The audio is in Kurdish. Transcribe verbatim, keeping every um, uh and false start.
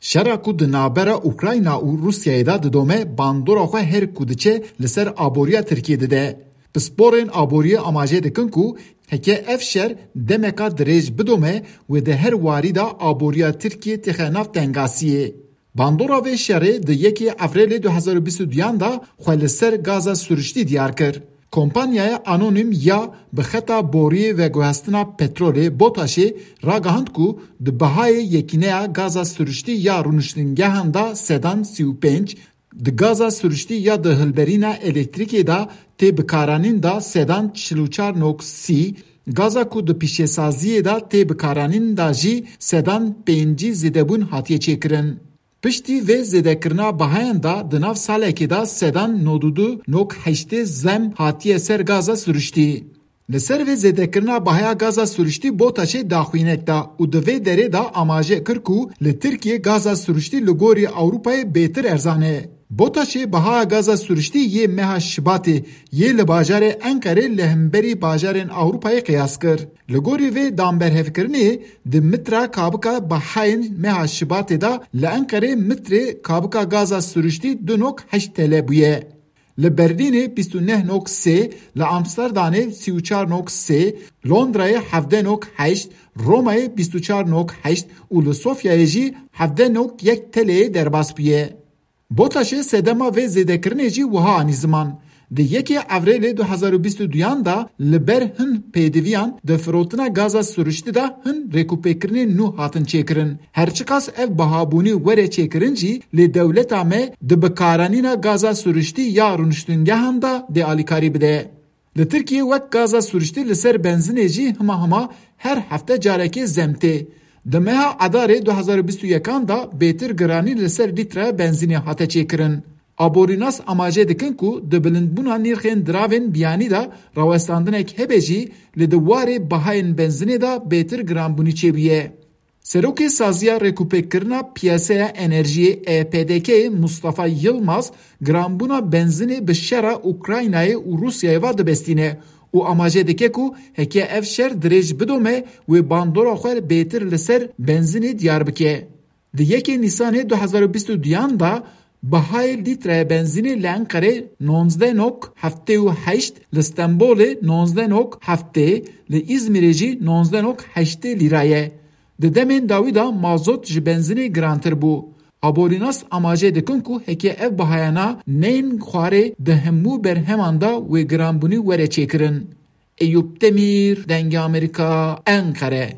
Şera ku di navbera Ukrayna û Rûsyayê de didome, bandora xwe her ku diçe li ser aboriya Tirkiyê dide. Pisporên aboriyê amaje dikin ku heke ev şer demeka dirêj bidome, wê di her warî de aboriya Tirkiyê têxe nav tengasiyê. Bandora vê şerê di yekê Evrêlê du hezar û bîst û duyan de xwe li ser gaza siruştî diyar kir. Kompanyaya anonîm ya bi xeta boriyê veguhestina petrolê BOTAŞê ragihand ku di bihayê yekîneya gaza siruştî ya rûniştingehan de sedan sî û pênc, di gaza siruştî ya di hilberîna elektrîkê de tê bikaranîn de sedan çil û çar nok sî, gaza ku di pîşesaziyê de tê bikaranîn de jî sedan pêncî zêdebûn hatiye çêkirin. Piştî vê zêdekirina bihayan de di nav salekê de sedan nod û du nok heştê zem hatiye ser gaza siruştî. Li ser vê zêdekirina bihaya gaza siruştî BOTAŞê daxuyanek da û di vê derê de amaje kir ku li Tirkiyê gaza siruştî li gorî Ewropayê bêtir erzan e. BOTAŞê bihaya gaza siruştî yê meha Şibatê yê li bajarê Enqerê li hemberî bajarên Ewropayê qiyas kir. Li gorî vê danberhevkirinê, di mitra kabika bihayên meha Şibatê de li Enqerê mitrê kabika gaza siruştî du nok heşt T L bûye. Li Berlînê bîst û neh nok sê, li Amsterdamê sî û çar nok sê, Londrayê hevdeh nok heşt, Romayê bîst û çar nok heşt û li Sofyayê jî hevdeh nok yek T L'yê derbas bûye. BOTAŞê sedema vê zêdekirinê jî wiha anî ziman. Di yekê Evrêlê du hezar û bîst û duyan de li ber hin pêdiviyan di firotina gaza siruştî de hin rêkûpêkirinên nû hatin çêkirin. Her çiqas ev bihabûnî were çêkirin jî, lê dewleta me di bikaranîna gaza siruştî ya rûniştingehan de dê alîkarî bide. Li Tirkiyê wek gaza siruştî li ser benzînê jî hima hima her hefte carekê zem tê. Di meha Edarê du hezar û bîst û yekan de bêtir giranî li ser lîtreya benzînê hate çêkirin. Aborînas amaje dikin ku di bilindbûna nirxên diravên biyanî de rawestandinek hebe jî, lê di warê bihayên benzînê de bêtir giranbûnî çêbûye. Serokê Saziya Rêkûpêkkirina Piyaseya Enerjiyê E P D K'yê Mustafa Yilmaz giranbûna benzînê bi şera Ukraynayê û Rûsyayê ve dibestîne û amaje dike ku heke ev şer dirêj bidome, wê bandora xwe bêtir li ser benzînê diyar bike. Di yekê Nîsanê du hezar û bîst û duyan de bihayê lîtreya benzînê li Enqerê nonzdeh nok heftê û heşt, li Stenbolê nonzdeh nok heftê, li Îzmîrê jî nonzdeh nok heştê lîra ye. Di demên dawî de mazot ji benzînê girantir bû. Aborînas amaje dikin ku heke ev bihayana neyên xwarê di hemû berheman de wê giranbûnî were çêkirin. Eyûp Demîr, Dengê Amerîka, Enqere.